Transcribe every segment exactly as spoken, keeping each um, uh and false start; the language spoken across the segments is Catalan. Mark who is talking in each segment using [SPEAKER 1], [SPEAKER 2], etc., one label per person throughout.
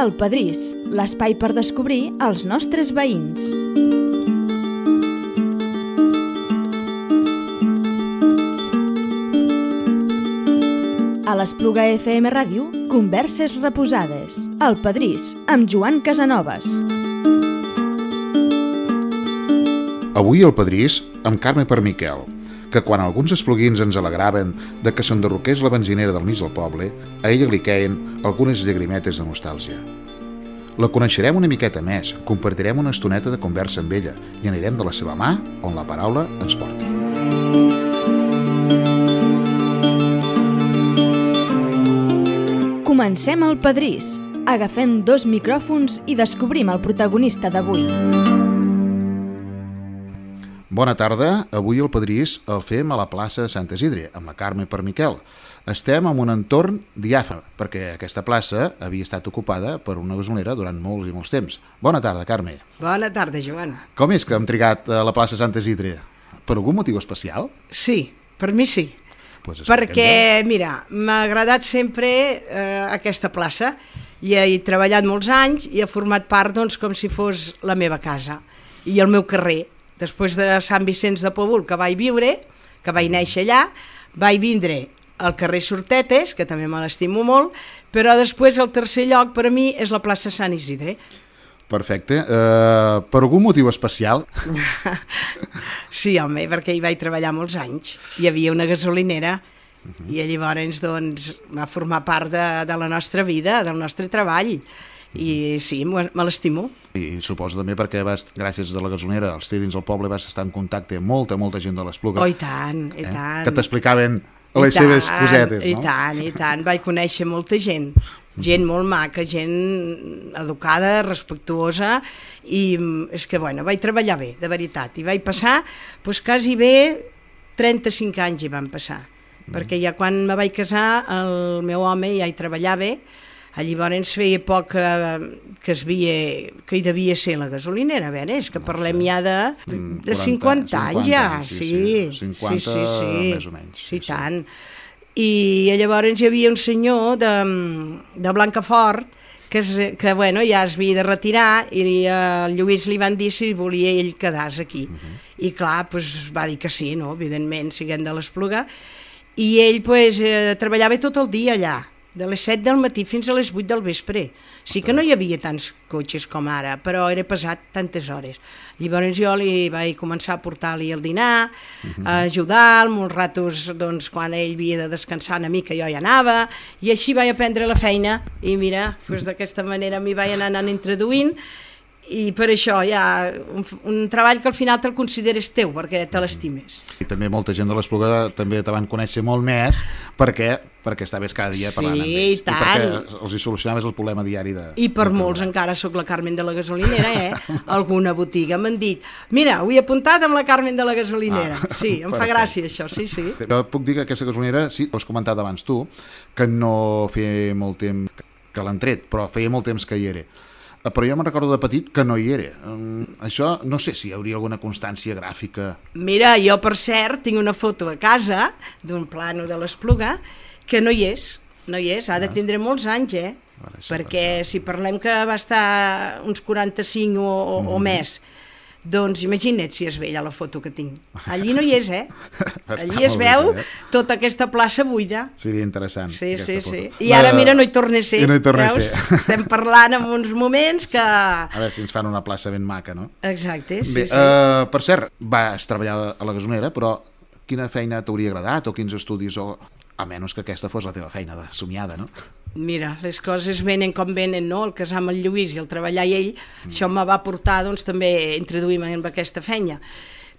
[SPEAKER 1] El Pedrís, l'espai per descobrir els nostres veïns. A l'Espluga F M Ràdio, converses reposades. El Pedrís, amb Joan Casanovas.
[SPEAKER 2] Avui al Pedrís, amb Carme Permiquel, que quan alguns espluguins ens alegraven de que s'enderroqués la benzinera del mig del poble, a ella li queien algunes llagrimetes de nostàlgia. La coneixerem una miqueta més, compartirem una estoneta de conversa amb ella i anirem de la seva mà on la paraula ens porti.
[SPEAKER 1] Comencem el Pedrís. Agafem dos micròfons i descobrim el protagonista d'avui.
[SPEAKER 2] Bona tarda, avui el Pedrís el fem a la plaça Sant Isidre, amb la Carme Permiquel. Estem en un entorn diàfan, perquè aquesta plaça havia estat ocupada per una gasolinera durant molts i molts temps. Bona tarda, Carme.
[SPEAKER 3] Bona tarda, Joan.
[SPEAKER 2] Com és que hem trigat a la plaça Sant Isidre? Per algun motiu especial?
[SPEAKER 3] Sí, per mi sí.
[SPEAKER 2] Pues
[SPEAKER 3] perquè, mira, m'ha agradat sempre eh, aquesta plaça. I he treballat molts anys i he format part, doncs, com si fos la meva casa i el meu carrer. Després de Sant Vicenç de Pobul, que vaig viure, que vaig néixer allà, vaig vindre al carrer Sortetes, que també me l'estimo molt, però després el tercer lloc per a mi és la plaça Sant Isidre.
[SPEAKER 2] Perfecte. Uh, per algun motiu especial?
[SPEAKER 3] Sí, home, perquè hi vaig treballar molts anys. Hi havia una gasolinera uh-huh. i llavors doncs, va formar part de, de la nostra vida, del nostre treball. I sí, me l'estimo.
[SPEAKER 2] I suposo també perquè vas, gràcies a la gasolinera, als dins del poble vas estar en contacte amb molta, molta gent de l'Espluga.
[SPEAKER 3] Oh, i tant, i eh? tant.
[SPEAKER 2] Que t'explicaven les tant, seves cosetes,
[SPEAKER 3] i
[SPEAKER 2] no?
[SPEAKER 3] I tant, i tant. Vaig conèixer molta gent, gent molt maca, gent educada, respectuosa, i és que, bueno, vaig treballar bé, de veritat. I vaig passar, doncs, quasi bé trenta-cinc anys hi van passar, mm. perquè ja quan me vaig casar, el meu home ja hi treballava. Llavors feia poc que, que, es via, que hi devia ser la gasolinera, a veure, és que parlem ja de, de cinquanta anys ja, sí,
[SPEAKER 2] cinquanta
[SPEAKER 3] sí, sí, sí,
[SPEAKER 2] més o menys.
[SPEAKER 3] Sí, sí, tant. I llavors hi havia un senyor de, de Blancafort que, es, que bueno, ja es havia de retirar i al Lluís li van dir si volia ell quedar-se aquí. Uh-huh. I clar, pues, va dir que sí, no? Evidentment, siguent de l'Espluga. I ell pues, eh, treballava tot el dia allà, de les set del matí fins a les vuit del vespre. Sí que no hi havia tants cotxes com ara, però era pesat tantes hores. Llavors jo li vaig començar a portar-li el dinar, uh-huh. a ajudar-lo, molts ratos, doncs, quan ell havia de descansar una mica jo hi anava, i així vaig aprendre la feina, i mira, doncs, d'aquesta manera m'hi vaig anar anant introduint, i per això hi ha un, un treball que al final te'l consideres teu, perquè te l'estimes.
[SPEAKER 2] I també molta gent de l'Espluga també te van conèixer molt més perquè perquè estaves cada dia parlant
[SPEAKER 3] sí,
[SPEAKER 2] amb ells.
[SPEAKER 3] I tant.
[SPEAKER 2] I perquè els hi solucionaves el problema diari de...
[SPEAKER 3] I per molts encara sóc la Carmen de la gasolinera, eh? Alguna botiga m'han dit, mira, ho he apuntat amb la Carmen de la gasolinera. Ah, sí, em perfecte. Fa gràcia això, sí, sí.
[SPEAKER 2] Jo puc dir que aquesta gasolinera, sí, ho has comentat abans tu, que no feia molt temps que l'han tret, però feia molt temps que hi era. Però jo me'n recordo de petit que no hi era. Um, això no sé si hi hauria alguna constància gràfica.
[SPEAKER 3] Mira, jo per cert tinc una foto a casa d'un plano de l'Espluga que no hi és, no hi és, ha de tindre molts anys, eh? Vale, perquè si parlem que va estar uns quaranta-cinc o, o, mm-hmm. o més, doncs imagina't si es veia la foto que tinc. Allí no hi és, eh? Allí es veu bé, eh? Tota aquesta plaça buida.
[SPEAKER 2] Seria interessant.
[SPEAKER 3] Sí, sí, sí. I ara, mira, no hi torna a ser.
[SPEAKER 2] I no hi torna a ser.
[SPEAKER 3] Estem parlant en uns moments que...
[SPEAKER 2] A veure si ens fan una plaça ben maca, no?
[SPEAKER 3] Exacte, sí,
[SPEAKER 2] bé,
[SPEAKER 3] sí.
[SPEAKER 2] Uh, per cert, vas treballar a la gasolinera, però quina feina t'hauria agradat o quins estudis, o a menys que aquesta fos la teva feina de somiada, no?
[SPEAKER 3] Mira, les coses venen com venen, no? El casar amb el Lluís i el treballar i ell, mm. això me va portar, doncs, també a introduir-me en aquesta feina.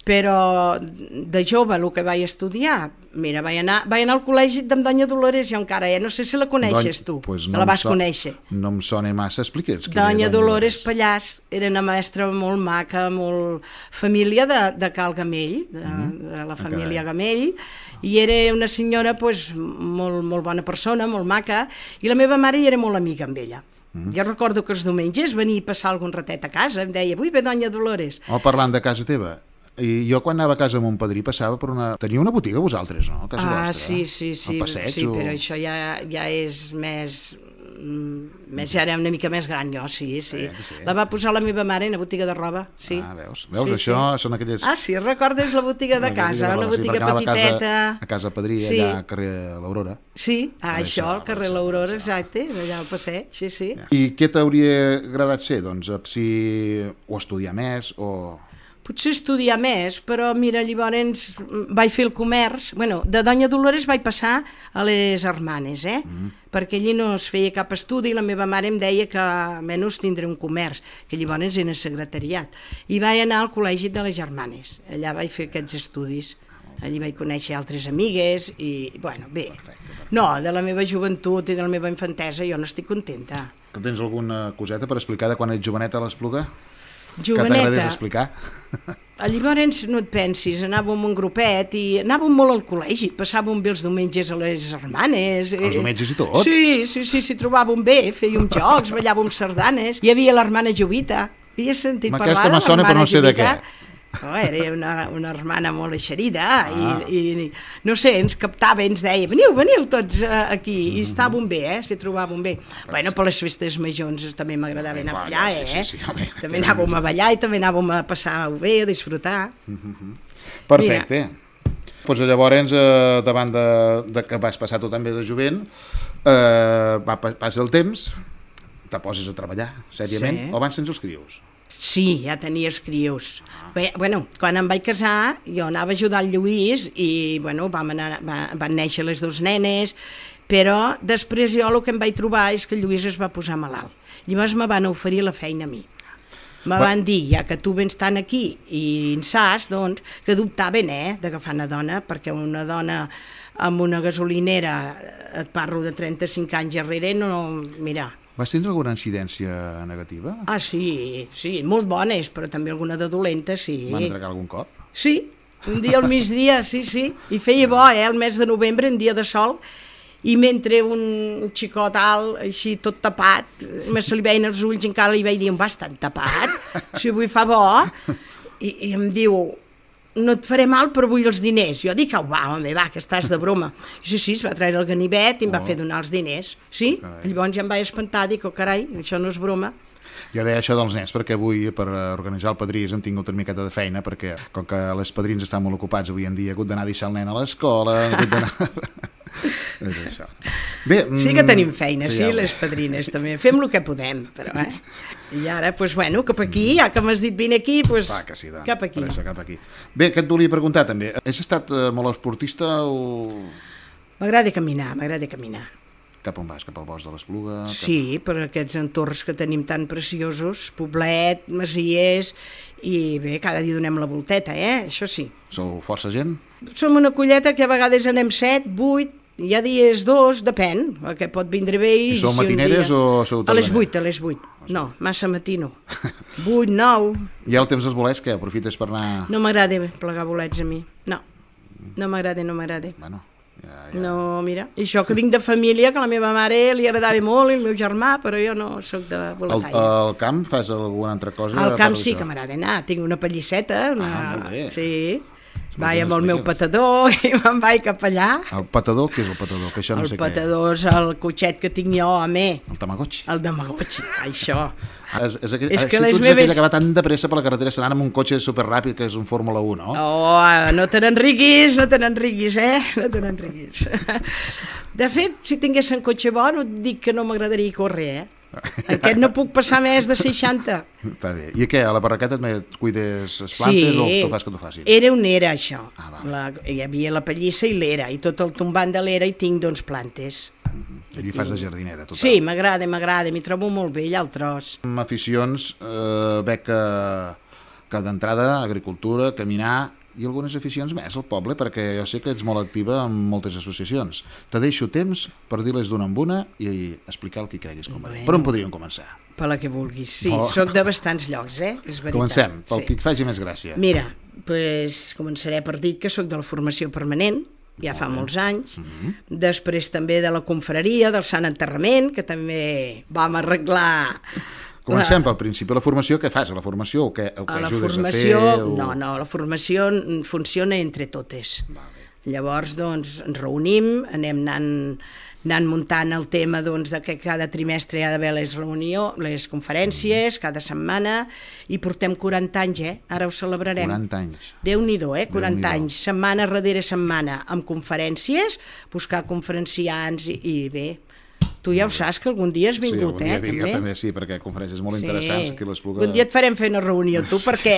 [SPEAKER 3] Però de jove, el que vaig estudiar, mira, vaig anar, vaig anar al col·legi d'en Doña Dolores, jo encara, eh? No sé si la coneixes tu,
[SPEAKER 2] pues
[SPEAKER 3] no
[SPEAKER 2] la vas
[SPEAKER 3] so conèixer.
[SPEAKER 2] No em sona massa, explique'ns.
[SPEAKER 3] Doña Dolores Pallàs era una mestra molt maca, molt família de, de Cal Gamell, de, mm. de la família Gamell, i era una senyora pues, molt, molt bona persona, molt maca, i la meva mare hi era molt amiga amb ella. Mm. Jo recordo que els diumenges venia a passar algun ratet a casa, em deia, avui ve Doña Dolores.
[SPEAKER 2] O parlant de casa teva, i jo quan anava a casa amb mon padrí passava per una... Tenia una botiga vosaltres, no? A casa
[SPEAKER 3] ah,
[SPEAKER 2] vostra,
[SPEAKER 3] sí, sí, sí,
[SPEAKER 2] passeig,
[SPEAKER 3] sí,
[SPEAKER 2] o...
[SPEAKER 3] però això ja, ja és més, més ja era una mica més gran jo, sí, sí.
[SPEAKER 2] Eh, sí.
[SPEAKER 3] La va posar la meva mare en la botiga de roba, sí.
[SPEAKER 2] Ah, veus? Veus,
[SPEAKER 3] Sí,
[SPEAKER 2] això
[SPEAKER 3] sí.
[SPEAKER 2] són aquelles...
[SPEAKER 3] Ah, sí, recordes la botiga de casa, una botiga petiteta.
[SPEAKER 2] A casa Padrí,
[SPEAKER 3] Sí.
[SPEAKER 2] allà al carrer L'Aurora.
[SPEAKER 3] Sí, ah,
[SPEAKER 2] Per
[SPEAKER 3] això,
[SPEAKER 2] això,
[SPEAKER 3] al carrer
[SPEAKER 2] per això,
[SPEAKER 3] l'Aurora,
[SPEAKER 2] per això.
[SPEAKER 3] exacte, allà al passeig, sí, sí.
[SPEAKER 2] I què t'hauria agradat ser, doncs, si o estudiar més o...
[SPEAKER 3] Potser estudiar més, però mira, llavors vaig fer el comerç. Bueno, de Doña Dolores vaig passar a les Hermanes, eh? Mm. Perquè allí no es feia cap estudi i la meva mare em deia que almenys tindré un comerç, que llavors era secretariat. I vaig anar al col·legi de les Germanes. Allà vaig fer aquests estudis. Allí vaig conèixer altres amigues i, bueno, bé.
[SPEAKER 2] Perfecte, perfecte.
[SPEAKER 3] No, de la meva joventut i de la meva infantesa jo no estic contenta.
[SPEAKER 2] Que tens alguna coseta per explicar de quan ets joveneta a l'Espluga? Que
[SPEAKER 3] Joveneta.
[SPEAKER 2] t'agradés explicar?
[SPEAKER 3] Llavors no et pensis, anàvem un grupet i anàvem molt al col·legi, passàvem bé els diumenges a les Hermanes.
[SPEAKER 2] Els diumenges i tot?
[SPEAKER 3] Sí, sí, sí, s'hi trobàvem bé, fèiem jocs, ballàvem sardanes. Hi havia l'hermana Jovita, havies sentit
[SPEAKER 2] Ma
[SPEAKER 3] parlar
[SPEAKER 2] aquesta
[SPEAKER 3] de
[SPEAKER 2] me sona, però no sé de
[SPEAKER 3] Jovita?
[SPEAKER 2] què.
[SPEAKER 3] Oh, era una, una hermana molt eixerida
[SPEAKER 2] Ah.
[SPEAKER 3] i, i no sé, ens captava i ens deia veniu, veniu tots uh, aquí i estàvem bé, eh, s'hi trobàvem bé. Bueno, per les festes majors també m'agradava anar a ballar,
[SPEAKER 2] sí,
[SPEAKER 3] eh?
[SPEAKER 2] sí, sí, home.
[SPEAKER 3] També anàvem a ballar i també anàvem a passar-ho bé, a disfrutar.
[SPEAKER 2] Perfecte. Doncs llavors, eh, davant de, de que vas passar tu també de jovent, eh, va, passa el temps, te poses a treballar, sèriament,
[SPEAKER 3] Sí.
[SPEAKER 2] o abans tens els crios?
[SPEAKER 3] Sí, ja tenia els crios. Bé, bueno, quan em vaig casar, jo anava a ajudar el Lluís i, bueno, vam anar, va, van néixer les dues nenes, però després jo el que em vaig trobar és que el Lluís es va posar malalt. Llavors me van oferir la feina a mi. Me
[SPEAKER 2] Va-
[SPEAKER 3] van dir, ja que tu vens tant aquí i en saps, doncs, que dubtaven, eh, d'agafar una dona, perquè una dona amb una gasolinera, et parlo de trenta-cinc anys enrere, no, mira...
[SPEAKER 2] Vas tindre alguna incidència negativa?
[SPEAKER 3] Ah, sí, sí, molt bones, però també alguna de dolenta, sí.
[SPEAKER 2] Van atracar algun cop?
[SPEAKER 3] Sí, un dia al migdia, sí, sí. I feia bo, eh, el mes de novembre, en dia de sol, i mentre un xicot alt, així tot tapat, me se li veien els ulls, encara li vaig dir, on vas tan tapat? Si avui fa bo. I, i em diu, no et faré mal, però vull els diners. Jo dic, au, va, home, va, que estàs de broma. I sí, sí, es va treure el ganivet i em va
[SPEAKER 2] Oh.
[SPEAKER 3] fer donar els diners. Sí,
[SPEAKER 2] Carai.
[SPEAKER 3] llavors ja em vaig espantar, dic, oh, carai, això no és broma.
[SPEAKER 2] Jo deia això dels nens, perquè avui, per organitzar el padrís, hem tingut una miqueta de feina, perquè com que les padrins estan molt ocupats avui en dia, he hagut d'anar a deixar el nen a l'escola, he hagut d'anar... és això. Bé,
[SPEAKER 3] Sí que tenim feina, sí,
[SPEAKER 2] home.
[SPEAKER 3] les padrines també. Fem el que podem, però, eh? I ara, doncs, bueno, cap aquí, ja que m'has dit vine aquí, doncs,
[SPEAKER 2] Clar que sí, dona,
[SPEAKER 3] cap aquí.
[SPEAKER 2] per això, cap aquí. Bé, què et volia preguntar també? Has estat eh, molt esportista o...
[SPEAKER 3] M'agrada caminar, m'agrada caminar.
[SPEAKER 2] Cap on vas? Cap al bosc de l'Espluga? Cap...
[SPEAKER 3] Sí, per aquests entorns que tenim tan preciosos, Poblet, Masies, i bé, cada dia donem la volteta, eh? Això sí.
[SPEAKER 2] Sou força gent?
[SPEAKER 3] Som una colleta que a vegades anem set, vuit, hi ha dies dos, depèn, que pot vindre bé.
[SPEAKER 2] I sou
[SPEAKER 3] si un
[SPEAKER 2] matineres
[SPEAKER 3] dia...
[SPEAKER 2] o sou
[SPEAKER 3] A les
[SPEAKER 2] tardaneres?
[SPEAKER 3] vuit, a les vuit. No, massa matino. Vuit, nou.
[SPEAKER 2] I el temps dels bolets, què? Aprofites per anar...
[SPEAKER 3] No m'agrada plegar bolets a mi. No, no m'agrada, no m'agrada.
[SPEAKER 2] Bueno, ja, ja...
[SPEAKER 3] No, mira, i això que vinc de família, que a la meva mare li agradava molt, i el meu germà, però jo no sóc de
[SPEAKER 2] Al,
[SPEAKER 3] boletaire.
[SPEAKER 2] al camp fas alguna altra cosa?
[SPEAKER 3] Al
[SPEAKER 2] a
[SPEAKER 3] camp
[SPEAKER 2] part
[SPEAKER 3] sí
[SPEAKER 2] d'això?
[SPEAKER 3] que m'agrada anar, tinc una pallisseta, una...
[SPEAKER 2] Ah, molt bé.
[SPEAKER 3] Sí,
[SPEAKER 2] Molt
[SPEAKER 3] vaig
[SPEAKER 2] ben
[SPEAKER 3] amb el meu
[SPEAKER 2] explicat.
[SPEAKER 3] patador i me'n vaig cap allà.
[SPEAKER 2] El patador, què és el patador? Que això no
[SPEAKER 3] El
[SPEAKER 2] sé
[SPEAKER 3] patador és el cotxet que tinc jo, home,
[SPEAKER 2] què. El Tamagotchi.
[SPEAKER 3] el Tamagotchi, això.
[SPEAKER 2] És, és, aquell,
[SPEAKER 3] És
[SPEAKER 2] és
[SPEAKER 3] que
[SPEAKER 2] que
[SPEAKER 3] les
[SPEAKER 2] tu ets
[SPEAKER 3] meves-
[SPEAKER 2] aquella que va tan de pressa per la carretera anant amb un cotxe superràpid que és un Fórmula un, no?
[SPEAKER 3] Oh, no te n'enriguis, no te n'enriguis, eh? No te n'enriguis. De fet, si tingués un cotxe bo, no et dic que no m'agradaria córrer, eh? Aquest no puc passar més de seixanta.
[SPEAKER 2] Està bé. I què, a la barraqueta et cuides les plantes o tu fas que t'ho facin?
[SPEAKER 3] Era on era això.
[SPEAKER 2] Ah, val.
[SPEAKER 3] la, hi havia la pallissa i l'era, i tot el tombant de l'era hi tinc doncs plantes.
[SPEAKER 2] Allí fas de jardinera, total.
[SPEAKER 3] Sí, m'agrada, m'agrada, m'hi trobo molt bé allà al tros.
[SPEAKER 2] Amb aficions, eh, veig que, que d'entrada, agricultura, caminar i algunes aficions més al poble, perquè jo sé que ets molt activa en moltes associacions. Te deixo temps per dir-les d'una en una i explicar el que creguis convenient.
[SPEAKER 3] Bueno.
[SPEAKER 2] Per on podríem començar?
[SPEAKER 3] Per la que vulguis. Sí,
[SPEAKER 2] Oh.
[SPEAKER 3] sóc de bastants llocs, eh? És veritat.
[SPEAKER 2] Comencem, pel
[SPEAKER 3] sí.
[SPEAKER 2] que et faci més gràcia.
[SPEAKER 3] Mira, pues, començaré per dir que sóc de la formació permanent, ja fa molts anys,
[SPEAKER 2] Mhm.
[SPEAKER 3] després també de la confraria, del Sant Enterrament, que també vam arreglar...
[SPEAKER 2] Comencem pel principi. La formació, què fas? A la formació o què, o què
[SPEAKER 3] A la
[SPEAKER 2] ajudes
[SPEAKER 3] formació,
[SPEAKER 2] a fer? O...
[SPEAKER 3] no, no, la formació funciona entre totes.
[SPEAKER 2] Vale.
[SPEAKER 3] Llavors, doncs, ens reunim, anem anant, anant muntant el tema doncs, de que cada trimestre hi ha d'haver les reunions, les conferències, cada setmana, i portem quaranta anys, eh? Ara ho celebrarem.
[SPEAKER 2] quaranta anys.
[SPEAKER 3] Déu-n'hi-do, eh? quaranta anys, setmana darrere setmana, amb conferències, buscar conferenciants i, i bé. Tu ja ho saps, que algun dia has vingut,
[SPEAKER 2] sí,
[SPEAKER 3] eh?
[SPEAKER 2] Vinc, també? també, sí, perquè conferències molt
[SPEAKER 3] sí.
[SPEAKER 2] interessants que l'Espluga...
[SPEAKER 3] Un dia et farem fer una reunió, tu, perquè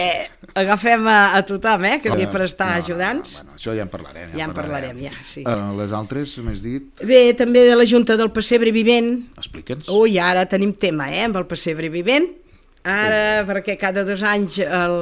[SPEAKER 3] agafem a, a tothom, eh? Que és per estar
[SPEAKER 2] no,
[SPEAKER 3] ajudants.
[SPEAKER 2] No, bueno, això ja en parlarem.
[SPEAKER 3] Ja, ja en parlarem, ja, sí.
[SPEAKER 2] Uh, les altres, m'has dit?
[SPEAKER 3] Bé, també de la Junta del Pessebre Vivent.
[SPEAKER 2] Explica'ns.
[SPEAKER 3] Ui, ara tenim tema, eh? Amb el Pessebre Vivent. Ara, sí. Perquè cada dos anys el,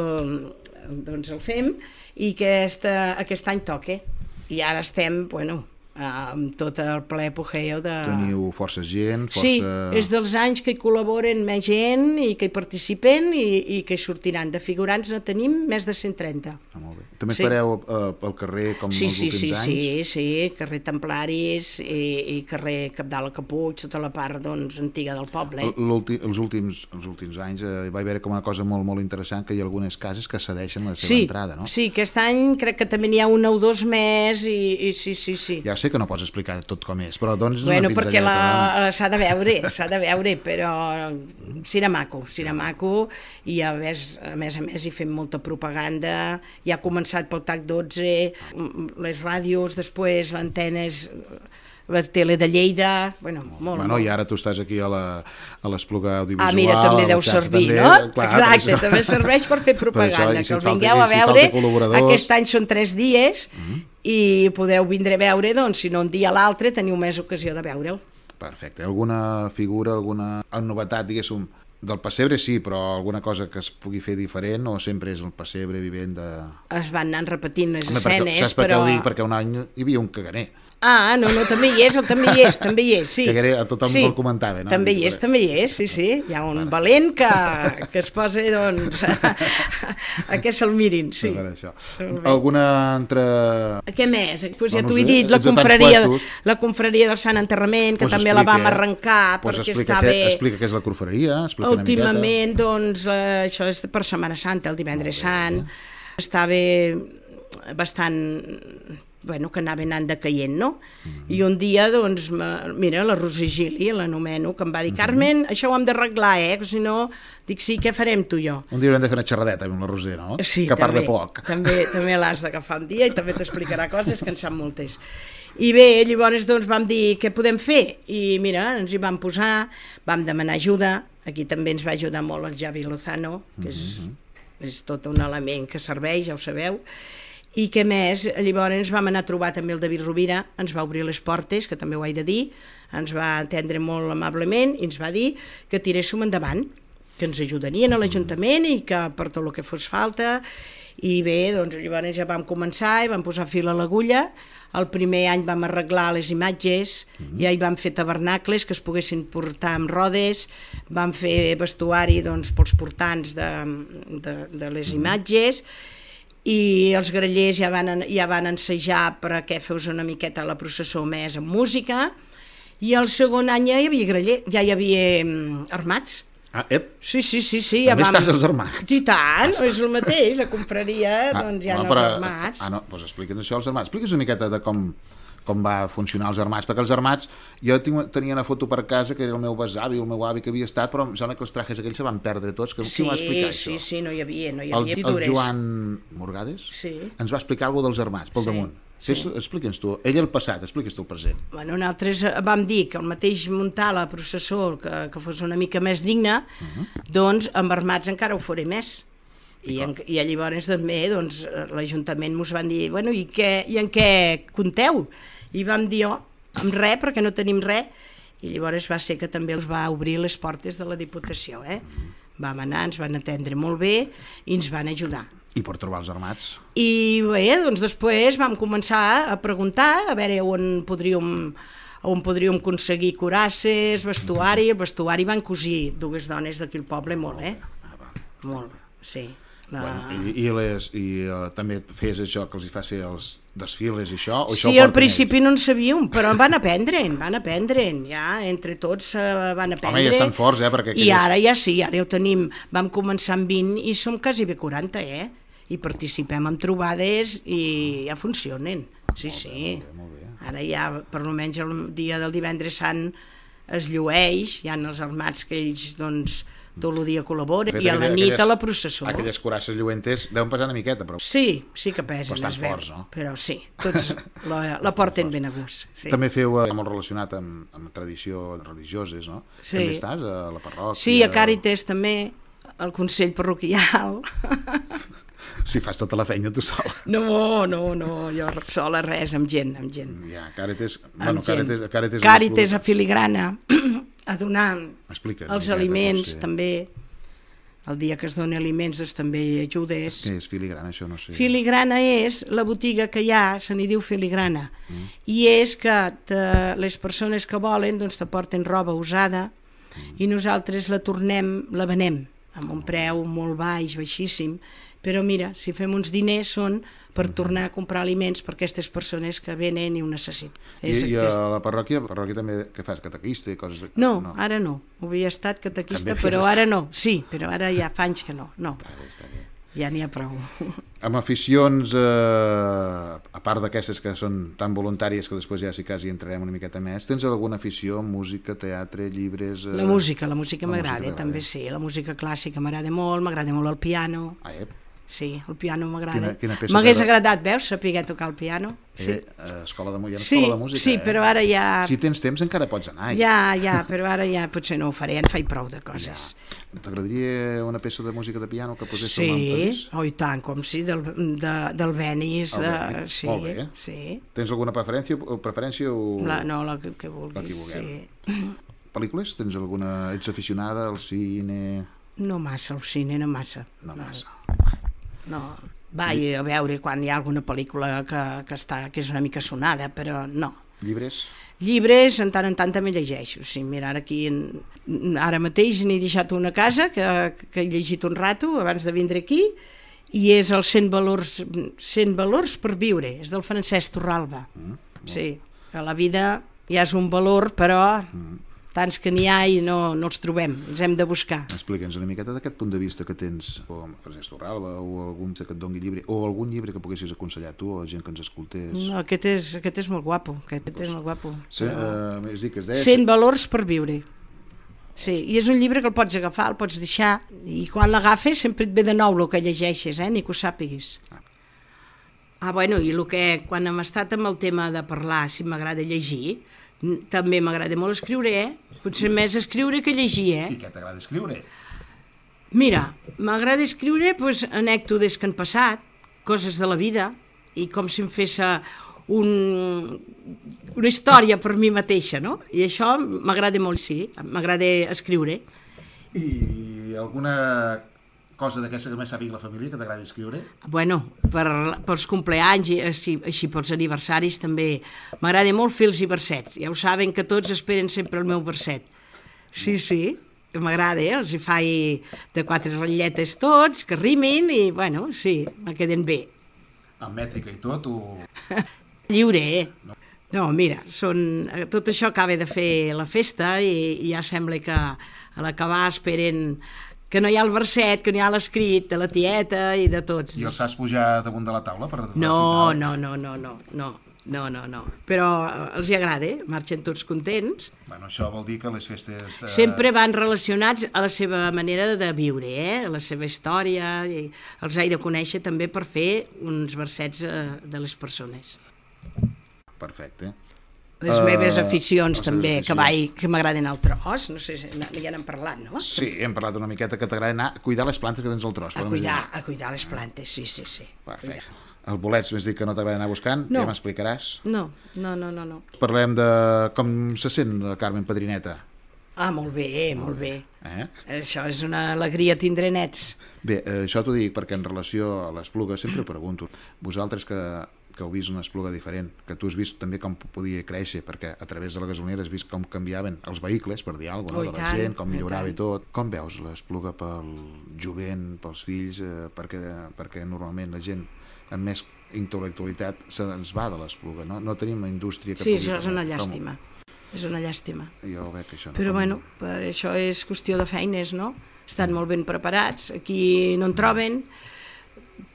[SPEAKER 3] doncs el fem, i aquest, aquest any toca. I ara estem, bueno... amb tot el ple apogeu de...
[SPEAKER 2] Teniu força gent, força...
[SPEAKER 3] Sí, és dels anys que hi col·laboren més gent i que hi participen i, i que hi sortiran. De figurants ne tenim més de cent trenta.
[SPEAKER 2] Ah, molt bé. També
[SPEAKER 3] sí.
[SPEAKER 2] fareu uh, pel carrer com
[SPEAKER 3] sí,
[SPEAKER 2] els
[SPEAKER 3] sí,
[SPEAKER 2] últims
[SPEAKER 3] sí,
[SPEAKER 2] anys?
[SPEAKER 3] Sí, sí, carrer Templaris i, i carrer Capdalt a Capuig, tota la part doncs, antiga del poble.
[SPEAKER 2] Últim, els, últims, els últims anys eh, hi va haver com una cosa molt, molt interessant, que hi ha algunes cases que cedeixen la seva
[SPEAKER 3] sí,
[SPEAKER 2] entrada, no?
[SPEAKER 3] Sí, aquest any crec que també n'hi ha una o dos més i, i sí, sí, sí.
[SPEAKER 2] Ja sé que no pots explicar tot com és, però doncs...
[SPEAKER 3] Bueno, perquè la... s'ha de veure, s'ha de veure, però serà maco, serà maco, i a més, a més a més hi fem molta propaganda, ja ha començat pel TAC dotze, les ràdios, després l'antenes, la tele de Lleida, bueno, molt,
[SPEAKER 2] bueno,
[SPEAKER 3] molt.
[SPEAKER 2] I ara tu estàs aquí a l'Espluga Audiovisual...
[SPEAKER 3] Ah, mira, també deu servir,
[SPEAKER 2] també,
[SPEAKER 3] no?
[SPEAKER 2] clar,
[SPEAKER 3] exacte, també serveix per fer propaganda, per això, que el vingueu a veure, aquest any són tres dies, uh -huh. i podreu vindre a veure, doncs, si no un dia a l'altre teniu més ocasió de veure'l.
[SPEAKER 2] Perfecte. Alguna figura, alguna novetat, diguéssim, del pessebre sí, però alguna cosa que es pugui fer diferent o sempre és el pessebre vivent de...
[SPEAKER 3] Es van anant repetint les
[SPEAKER 2] Home,
[SPEAKER 3] escenes,
[SPEAKER 2] perquè, saps
[SPEAKER 3] però...
[SPEAKER 2] Per què ho dic? Perquè un any hi havia un caganer.
[SPEAKER 3] Ah, no, no, també hi és, també hi és, també hi és, sí.
[SPEAKER 2] Que a tothom
[SPEAKER 3] sí.
[SPEAKER 2] el comentava, no?
[SPEAKER 3] També hi és, també hi és, sí, sí. Hi ha un bueno. valent que, que es posa, doncs, a, a que se'l mirin, sí.
[SPEAKER 2] Això. Alguna altra...
[SPEAKER 3] Què més? Pues ja
[SPEAKER 2] no, no
[SPEAKER 3] t'ho
[SPEAKER 2] sé,
[SPEAKER 3] he dit, la confraria, la confraria del Sant Enterrament, que
[SPEAKER 2] pues
[SPEAKER 3] també
[SPEAKER 2] explica,
[SPEAKER 3] la vam arrencar,
[SPEAKER 2] pues
[SPEAKER 3] perquè
[SPEAKER 2] explica
[SPEAKER 3] està
[SPEAKER 2] què,
[SPEAKER 3] bé...
[SPEAKER 2] Explica què és la confraria, explica
[SPEAKER 3] Últimament, doncs, eh, això és per Setmana Santa, el divendres sant, està bé bastant... bueno, que anava anant decaient, no? Mm-hmm. I un dia, doncs, mira, la Roser Gili, l'anomeno, que em va dir, Carmen, això ho hem d'arreglar, eh? Que si no, dic, sí, què farem tu i jo?
[SPEAKER 2] Un dia haurem de fer una xerradeta amb la Roser, no?
[SPEAKER 3] Sí,
[SPEAKER 2] que
[SPEAKER 3] també,
[SPEAKER 2] parla poc.
[SPEAKER 3] També, també l'has d'agafar un dia i també t'explicarà coses que en sap moltes. I bé, llavors, doncs, vam dir, què podem fer? I mira, ens hi vam posar, vam demanar ajuda, aquí també ens va ajudar molt el Javi Lozano, que és, mm-hmm. és tot un element que serveix, ja ho sabeu. I què més? Llavors ens vam anar a trobar també el David Rovira, ens va obrir les portes, que també ho he de dir, ens va atendre molt amablement i ens va dir que tiréssim endavant, que ens ajudarien a l'Ajuntament i que per tot el que fos falta. I bé, doncs llavors ja vam començar i vam posar fil a l'agulla. El primer any vam arreglar les imatges, mm-hmm. ja hi vam fer tabernacles que es poguessin portar amb rodes, vam fer vestuari doncs, pels portants de, de, de les mm-hmm. imatges, i els grallers ja van, ja van ensejar perquè fes una miqueta la processó més amb música, i el segon any ja hi havia graller, ja hi havia um, armats.
[SPEAKER 2] Ah, ep.
[SPEAKER 3] Sí, sí, sí, sí.
[SPEAKER 2] També
[SPEAKER 3] ja vam...
[SPEAKER 2] estàs als armats.
[SPEAKER 3] I tant, és el mateix, la confraria,
[SPEAKER 2] ah,
[SPEAKER 3] doncs hi ha
[SPEAKER 2] no,
[SPEAKER 3] els
[SPEAKER 2] però,
[SPEAKER 3] armats.
[SPEAKER 2] Ah, no, doncs explica'ns això, els armats. Explica's una miqueta de com, com va funcionar els armats, perquè els armats, jo tinc, tenia una foto per casa que era el meu besavi, el meu avi que havia estat, però em sembla que els trajes aquells se van perdre tots, que
[SPEAKER 3] sí,
[SPEAKER 2] qui m'ho va explicar
[SPEAKER 3] sí,
[SPEAKER 2] això?
[SPEAKER 3] Sí, sí, no hi havia, no hi havia
[SPEAKER 2] el,
[SPEAKER 3] figures.
[SPEAKER 2] El Joan Morgades
[SPEAKER 3] sí.
[SPEAKER 2] ens va explicar alguna dels armats, pel
[SPEAKER 3] sí.
[SPEAKER 2] damunt.
[SPEAKER 3] Sí.
[SPEAKER 2] Explica'ns tu, ell el passat, explica'ns tu el present.
[SPEAKER 3] Bueno, nosaltres vam dir que el mateix muntar la processó que, que fos una mica més digna, uh-huh. doncs amb armats encara ho faré més. I, en, i llavors també doncs, l'Ajuntament ens van dir, bueno, i, què, i en què compteu? I vam dir, oh, amb res, perquè no tenim res. I llavors va ser que també els va obrir les portes de la Diputació. Eh? Uh-huh. Vam anar, ens van atendre molt bé i ens van ajudar.
[SPEAKER 2] I per trobar els armats.
[SPEAKER 3] I bé, doncs després vam començar a preguntar a veure on podríem, on podríem aconseguir curasses, vestuari. El vestuari van cosir dues dones d'aquí al poble molt, eh? Molt, sí.
[SPEAKER 2] Bueno, I, i, les, i uh, també fes això que els hi fas fer els desfiles i això? O
[SPEAKER 3] sí,
[SPEAKER 2] això
[SPEAKER 3] al principi ells? No en sabíem, però van aprendre'n, van aprendre'n, ja, entre tots uh, van aprendre.
[SPEAKER 2] Home, ja estan forts, eh? Perquè
[SPEAKER 3] I ara ja sí, ara ja ho tenim. Vam començar amb vint i som quasi bé quaranta, eh? I participem en trobades i ja funcionen. sí,
[SPEAKER 2] Molt
[SPEAKER 3] sí.
[SPEAKER 2] bé, molt bé, molt bé.
[SPEAKER 3] Ara ja, per almenys el dia del divendres sant es llueix, hi ha els armats que ells, doncs, tot el dia col·laboren,
[SPEAKER 2] fet,
[SPEAKER 3] i a la
[SPEAKER 2] aquelles-
[SPEAKER 3] nit a la
[SPEAKER 2] aquelles-
[SPEAKER 3] processó.
[SPEAKER 2] Aquelles curasses lluentes deuen pesar una miqueta, però
[SPEAKER 3] Sí, sí que pesen,
[SPEAKER 2] Bastant
[SPEAKER 3] es veu,
[SPEAKER 2] forts, no?
[SPEAKER 3] però sí, tots la, la porten ben a gust. Sí.
[SPEAKER 2] també feu eh, molt relacionat amb, amb tradicions religioses, no?
[SPEAKER 3] Sí.
[SPEAKER 2] També estàs a la parròquia?
[SPEAKER 3] Sí, a Càritas també, al Consell Parroquial.
[SPEAKER 2] Si fas tota la feina tu sola.
[SPEAKER 3] No, no, no, jo sola res, amb gent, amb gent.
[SPEAKER 2] Ja, Càritas...
[SPEAKER 3] Amb
[SPEAKER 2] Bueno,
[SPEAKER 3] gent.
[SPEAKER 2] Càritas... Càritas,
[SPEAKER 3] Càritas a filigrana, a donar
[SPEAKER 2] Explica.
[SPEAKER 3] els aliments, també. El dia que es doni aliments, doncs també hi ajudes.
[SPEAKER 2] Què és filigrana, això no sé.
[SPEAKER 3] Filigrana és la botiga que hi ha, se n'hi diu filigrana, mm. i és que te, les persones que volen doncs te porten roba usada mm. i nosaltres la tornem, la venem amb un preu molt baix, baixíssim, però mira, si fem uns diners són per tornar a comprar aliments per aquestes persones que venen i ho necessiten.
[SPEAKER 2] I,
[SPEAKER 3] És
[SPEAKER 2] i a
[SPEAKER 3] aquest...
[SPEAKER 2] la parròquia, la parròquia també, què fas, catequista i coses... De...
[SPEAKER 3] No, no, ara no. Havia estat catequista,
[SPEAKER 2] També
[SPEAKER 3] però
[SPEAKER 2] havies
[SPEAKER 3] ara no. Sí, però ara ja fa anys que no. No,
[SPEAKER 2] Està bé, està bé.
[SPEAKER 3] ja n'hi ha prou.
[SPEAKER 2] Amb aficions, eh, a part d'aquestes que són tan voluntàries que després ja si quasi entrarem una miqueta més, tens alguna afició, música, teatre, llibres... Eh...
[SPEAKER 3] La música, la música
[SPEAKER 2] La
[SPEAKER 3] m'agrada,
[SPEAKER 2] música
[SPEAKER 3] també sí. La música clàssica m'agrada molt, m'agrada molt el piano.
[SPEAKER 2] Ah, eh?
[SPEAKER 3] Sí, el piano m'agrada.
[SPEAKER 2] Quina- quina peça
[SPEAKER 3] M'hagués
[SPEAKER 2] t'agrada?
[SPEAKER 3] agradat, veus, saber tocar el piano. Sí,
[SPEAKER 2] Eh, eh, escola de, hi ha una
[SPEAKER 3] sí,
[SPEAKER 2] escola de música,
[SPEAKER 3] sí,
[SPEAKER 2] eh?
[SPEAKER 3] però ara ja...
[SPEAKER 2] Si tens temps encara pots anar.
[SPEAKER 3] Ja, ja, però ara ja potser no ho faré, en faig prou de
[SPEAKER 2] Ja.
[SPEAKER 3] coses.
[SPEAKER 2] T'agradaria una peça de música de piano que posés
[SPEAKER 3] Sí,
[SPEAKER 2] el Lampadís?
[SPEAKER 3] oh, i tant, com sí, del, de, del Benis.
[SPEAKER 2] El
[SPEAKER 3] De,
[SPEAKER 2] Benis,
[SPEAKER 3] sí,
[SPEAKER 2] molt bé.
[SPEAKER 3] sí.
[SPEAKER 2] Tens alguna preferència o, preferència o...
[SPEAKER 3] La, no, la que, que vulguis,
[SPEAKER 2] La que vulguem.
[SPEAKER 3] sí.
[SPEAKER 2] Pel·lícules? Tens alguna... Ets aficionada al cine?
[SPEAKER 3] No massa, al cine, no massa.
[SPEAKER 2] No massa.
[SPEAKER 3] No, vaig a veure quan hi ha alguna pel·lícula que, que, està, que és una mica sonada, però no.
[SPEAKER 2] Llibres?
[SPEAKER 3] Llibres, en tant en tant també llegeixo. Sí, mira, ara aquí, en, ara mateix n'he deixat una a casa que, que he llegit un rato abans de vindre aquí, i és el cent valors, cent valors per viure, és del Francesc Torralba.
[SPEAKER 2] Mm,
[SPEAKER 3] Sí, que la vida ja és un valor, però
[SPEAKER 2] mm.
[SPEAKER 3] tants que n'hi ha i no, no els trobem, ens hem de buscar.
[SPEAKER 2] Explica'ns una miqueta d'aquest punt de vista que tens o amb Francesc Torralba o algun que et doni llibre o algun llibre que poguessis aconsellar tu o gent que ens escoltés.
[SPEAKER 3] No, aquest, és, aquest és molt guapo, aquest és molt guapo.
[SPEAKER 2] Sí,
[SPEAKER 3] Però...
[SPEAKER 2] eh, és dir, que es deia...
[SPEAKER 3] cent valors per viure. Sí, i és un llibre que el pots agafar, el pots deixar, i quan l'agafes sempre et ve de nou el que llegeixes, eh? Ni que ho sàpiguis. Ah, bueno, i el que, quan hem estat amb el tema de parlar, si m'agrada llegir, n- també m'agrada molt escriure, eh? Potser més escriure que llegir, eh?
[SPEAKER 2] I què t'agrada escriure?
[SPEAKER 3] Mira, m'agrada escriure doncs, anècdotes que han passat, coses de la vida, i com si em fes eh, un, una història per mi mateixa, no? I això m'agrada molt, sí, m'agrada escriure.
[SPEAKER 2] I alguna cosa d'aquesta que més sàpiga la família que t'agrada escriure?
[SPEAKER 3] Bueno, per, pels compleanys i així, així pels aniversaris també m'agrada molt fer els versets. Ja ho saben que tots esperen sempre el meu verset. Sí, sí, m'agrada, eh? Els hi faig de quatre ratlletes tots, que rimin i, bueno, sí, me queden bé.
[SPEAKER 2] Amb mètrica i tot o...
[SPEAKER 3] Lliure, eh? No, mira, són, tot això acaba de fer la festa i, i ja sembla que a l'acabar esperen que no hi ha el verset, que no hi ha l'escrit de la tieta i de tots.
[SPEAKER 2] I els saps pujar damunt de la taula per
[SPEAKER 3] No,
[SPEAKER 2] recitar?
[SPEAKER 3] no, no, no, no, no, no, no, no. Però eh, els hi agrada, eh? Marxen tots contents.
[SPEAKER 2] Bueno, això vol dir que les festes... Eh...
[SPEAKER 3] Sempre van relacionats a la seva manera de viure, eh? A la seva història. I els he de conèixer també per fer uns versets eh, de les persones.
[SPEAKER 2] Perfecte.
[SPEAKER 3] Les
[SPEAKER 2] Uh,
[SPEAKER 3] meves aficions
[SPEAKER 2] les
[SPEAKER 3] també,
[SPEAKER 2] teves
[SPEAKER 3] que,
[SPEAKER 2] aficions.
[SPEAKER 3] vaig, que m'agraden al tros, no sé si ja n'hem parlat, no?
[SPEAKER 2] Sí, hem parlat una miqueta que t'agrada anar a cuidar les plantes que tens al tros.
[SPEAKER 3] A
[SPEAKER 2] podem
[SPEAKER 3] cuidar,
[SPEAKER 2] dir.
[SPEAKER 3] a cuidar les plantes, sí, sí, sí.
[SPEAKER 2] Perfecte. El bolets, m'has dit que no t'agrada anar buscant,
[SPEAKER 3] No.
[SPEAKER 2] ja m'explicaràs.
[SPEAKER 3] No, no, no, no, no.
[SPEAKER 2] Parlem de com se sent la Carmen Padrineta.
[SPEAKER 3] Ah, molt bé, molt bé.
[SPEAKER 2] Eh?
[SPEAKER 3] Això és una alegria tindre nets.
[SPEAKER 2] Bé, eh, això t'ho dic perquè en relació a l'Espluga sempre pregunto, vosaltres que, que heu vist una Espluga diferent, que tu has vist també com podia créixer, perquè a través de la gasolinera has vist com canviaven els vehicles, per dir alguna cosa,
[SPEAKER 3] Oh, i
[SPEAKER 2] no? de la
[SPEAKER 3] tant,
[SPEAKER 2] gent, com
[SPEAKER 3] i
[SPEAKER 2] millorava i
[SPEAKER 3] tant.
[SPEAKER 2] tot. Com veus l'Espluga pel jovent, pels fills, eh, perquè, perquè normalment la gent amb més intel·lectualitat se'ns va de l'Espluga, no? No tenim una indústria que
[SPEAKER 3] Sí,
[SPEAKER 2] pugui...
[SPEAKER 3] això és una
[SPEAKER 2] com-
[SPEAKER 3] llàstima. És una llàstima.
[SPEAKER 2] Jo veig que això no...
[SPEAKER 3] Però
[SPEAKER 2] com-
[SPEAKER 3] bueno, per això és qüestió de feines, no? Estan molt ben preparats, aquí no en troben,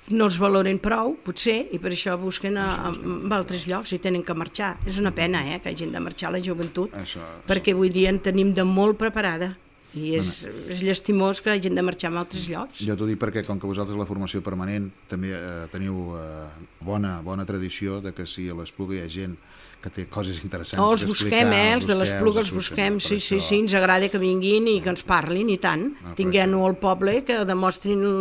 [SPEAKER 3] no els valoren prou, potser, i per això busquen a, a, a altres llocs i tenen que marxar. És una pena, eh, que hagin de marxar la joventut, això, perquè avui dia en tenim de molt preparada. I és, bueno, és llastimós que hagin de marxar a altres llocs.
[SPEAKER 2] Jo t'ho dic perquè, com que vosaltres la formació permanent també eh, teniu eh, bona, bona tradició de que si a l'Espluga hi ha gent que té coses interessants
[SPEAKER 3] oh, els busquem, eh, els de l'Espluga els busquem, sí, sí, sí, ens agrada que vinguin i que ens parlin, i tant. No, tinguem-ho al poble, que demostrin el,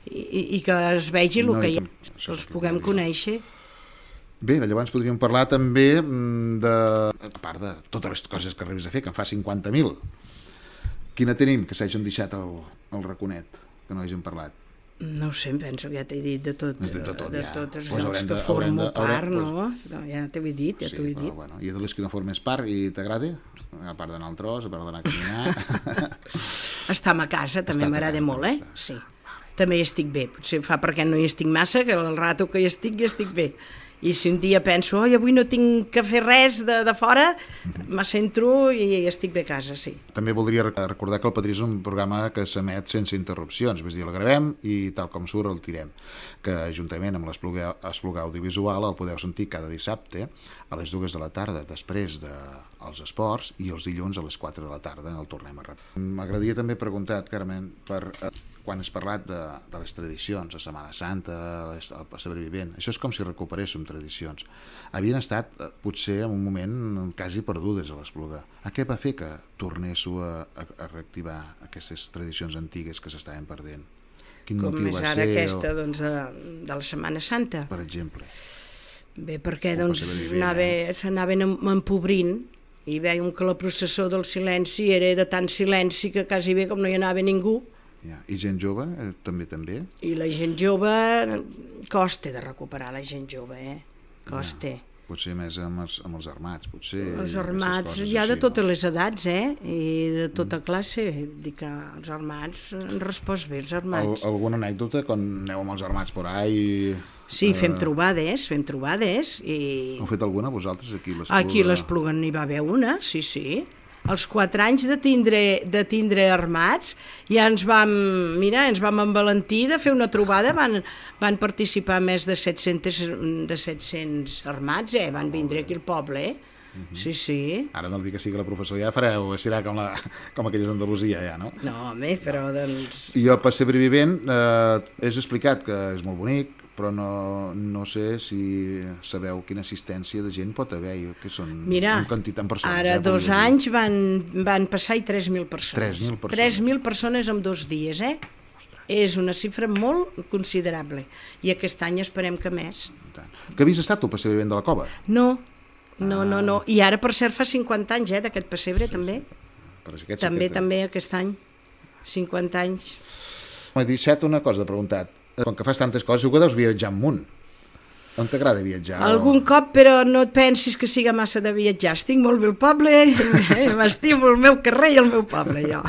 [SPEAKER 3] i, i que es vegi el no, que hi ha, que els puguem conèixer.
[SPEAKER 2] Bé, llavors podríem parlar també de, a part de totes les coses que arribes a fer, que en fa cinquanta mil, quina tenim que s'hagin deixat el, el raconet, que no hagin parlat?
[SPEAKER 3] No ho sé, em penso que ja t'he dit de tot, de, de, tot, de ja. tots els
[SPEAKER 2] pues
[SPEAKER 3] llocs que
[SPEAKER 2] de,
[SPEAKER 3] formo
[SPEAKER 2] de,
[SPEAKER 3] part,
[SPEAKER 2] pues,
[SPEAKER 3] no? no? Ja t'ho he dit, ja
[SPEAKER 2] sí,
[SPEAKER 3] t'ho he dit.
[SPEAKER 2] Però, bueno, i de les que no formes part i t'agrada? A part d'anar al tros, a part d'anar a caminar...
[SPEAKER 3] Estar a casa també m'agrada molt, eh? Sí. També hi estic bé, potser fa perquè no hi estic massa, que el rato que hi estic, hi estic bé. I si un dia penso, oi, avui no tinc que fer res de, de fora, m'assentro i estic bé a casa, sí.
[SPEAKER 2] També voldria recordar que el Padrí és un programa que s'emet sense interrupcions, és a dir, el gravem i tal com surt el tirem, que juntament amb l'Espluga Audiovisual el podeu sentir cada dissabte a les dues de la tarda, després dels esports, i els dilluns a les quatre de la tarda el tornem a repetir. M'agradaria també preguntar, Carmen, per... quan has parlat de, de les tradicions, la Setmana Santa, el pessebre vivent, això és com si recuperéssim tradicions. Havien estat, potser, en un moment quasi perdudes a l'Espluga. A què va fer que tornéssiu a, a, a reactivar aquestes tradicions antigues que s'estaven perdent? Quin
[SPEAKER 3] com
[SPEAKER 2] motiu
[SPEAKER 3] és
[SPEAKER 2] va
[SPEAKER 3] ara
[SPEAKER 2] ser?
[SPEAKER 3] aquesta, doncs, de, de la Setmana Santa?
[SPEAKER 2] Per exemple.
[SPEAKER 3] Bé, perquè doncs, s'anaven empobrint i veiem que la processó del silenci era de tant silenci que quasi bé com no hi anava ningú.
[SPEAKER 2] Ja. I gent jove, eh, també també?
[SPEAKER 3] I la gent jove, costa de recuperar la gent jove, eh? Costa. Ja.
[SPEAKER 2] Potser més amb els, amb els armats, potser...
[SPEAKER 3] Els armats hi ha de totes no? les edats, eh? I de tota mm. classe. Dic que els armats han respost bé, els armats.
[SPEAKER 2] Al, alguna anècdota quan aneu amb els armats por ahí?
[SPEAKER 3] Sí, fem eh... trobades, fem trobades. I...
[SPEAKER 2] Heu fet alguna vosaltres aquí a l'Espluga?
[SPEAKER 3] Aquí a l'Espluga n'hi va haver una, sí, sí. Els quatre anys de tindre, de tindre armats ja ens vam, mira, ens vam envalentir de fer una trobada, van, van participar més de set-cents, de set-cents armats, eh? Van vindre aquí al poble, eh? Uh-huh. Sí, sí.
[SPEAKER 2] Ara no el dic que sigui la professora, ja fareu, serà com, la, com aquelles d'Andalusia, ja, no?
[SPEAKER 3] No, home, però doncs...
[SPEAKER 2] I el pessebre vivent, eh, és explicat que és molt bonic, però no, no sé si sabeu quina assistència de gent pot haver, que són
[SPEAKER 3] Mira,
[SPEAKER 2] en quantitat de persones.
[SPEAKER 3] Ara
[SPEAKER 2] eh,
[SPEAKER 3] dos anys van, van passar i tres mil persones.
[SPEAKER 2] tres mil persones.
[SPEAKER 3] tres mil persones en dos dies, eh? Ostres. És una xifra molt considerable. I aquest any esperem que més.
[SPEAKER 2] Que havies estat tu al pessebre vivent de la Cova?
[SPEAKER 3] No, no, ah. no, no. I ara, per cert, fa cinquanta anys, eh, d'aquest pessebre, sí, també.
[SPEAKER 2] Sí. Per aquest
[SPEAKER 3] també,
[SPEAKER 2] sí
[SPEAKER 3] també, aquest any. cinquanta anys.
[SPEAKER 2] M'ha dit una cosa de preguntat. Com que fas tantes coses, segur que deus viatjar un munt. On t'agrada viatjar?
[SPEAKER 3] Algun o... cop, però no et pensis que siga massa de viatjar. Estic molt bé al poble, m'estimo el meu carrer i el meu poble, jo.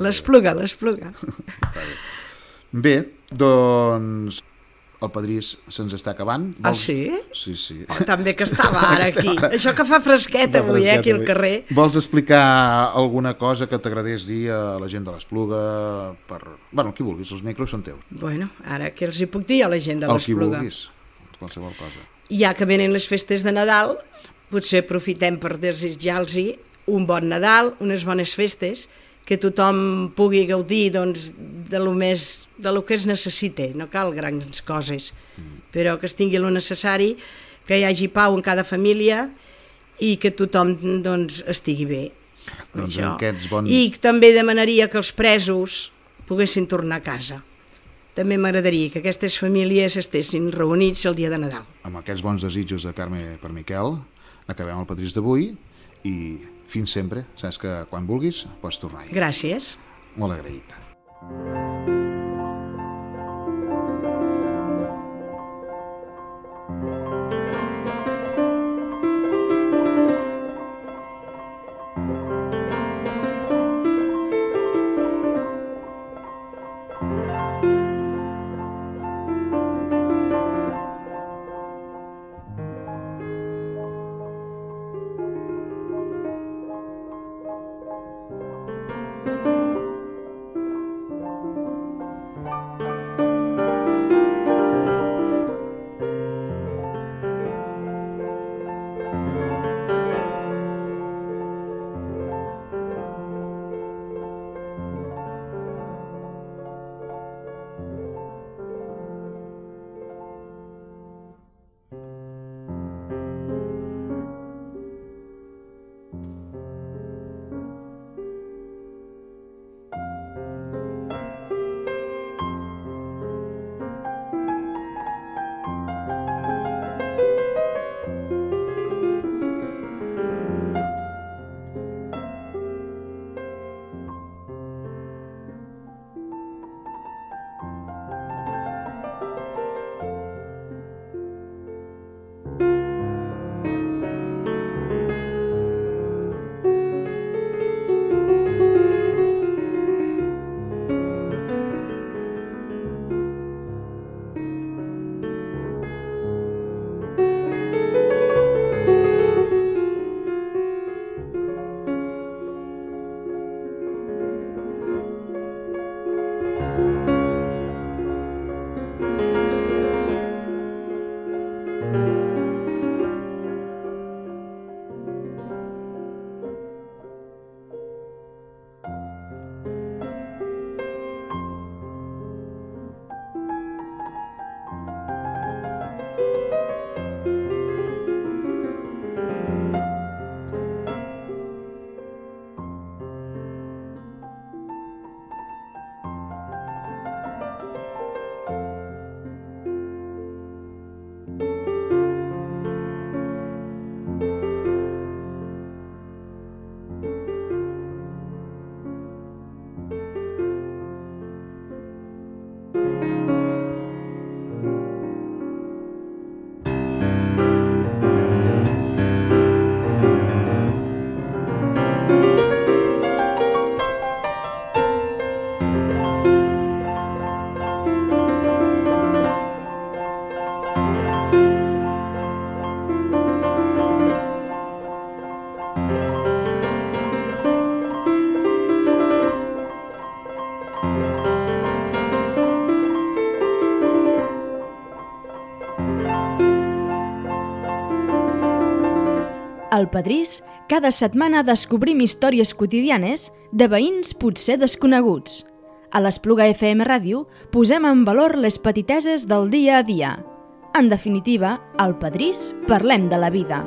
[SPEAKER 3] L'Espluga, l'Espluga.
[SPEAKER 2] Bé, doncs... El Padrí se'ns està acabant.
[SPEAKER 3] Vols... Ah, sí?
[SPEAKER 2] Sí, sí.
[SPEAKER 3] Oh, també que estava ara aquí. Això que fa fresquet avui, eh, aquí al carrer.
[SPEAKER 2] Vols explicar alguna cosa que t'agradés dir a la gent de l'Espluga? Per... Bueno, qui vulguis, els micros són teus.
[SPEAKER 3] Bueno, ara què els hi puc dir a la gent de l'Espluga?
[SPEAKER 2] El qui vulguis, qualsevol cosa.
[SPEAKER 3] Ja que venen les festes de Nadal, potser aprofitem per desitjar-los un bon Nadal, unes bones festes, que tothom pugui gaudir doncs, de lo més, de lo que es necessita, no cal grans coses, mm. però que es tingui el necessari, que hi hagi pau en cada família i que tothom doncs, estigui bé.
[SPEAKER 2] Doncs bons...
[SPEAKER 3] I també demanaria que els presos poguessin tornar a casa. També m'agradaria que aquestes famílies estessin reunits el dia de Nadal.
[SPEAKER 2] Amb aquests bons desitjos de Carme per Miquel, acabem el Padrís d'avui i fins sempre, saps que quan vulguis pots tornar-hi.
[SPEAKER 3] Gràcies.
[SPEAKER 2] Molt agraït.
[SPEAKER 1] Al Pedrís, cada setmana descobrim històries quotidianes de veïns potser desconeguts. A l'Espluga F M Ràdio posem en valor les petiteses del dia a dia. En definitiva, al Pedrís parlem de la vida.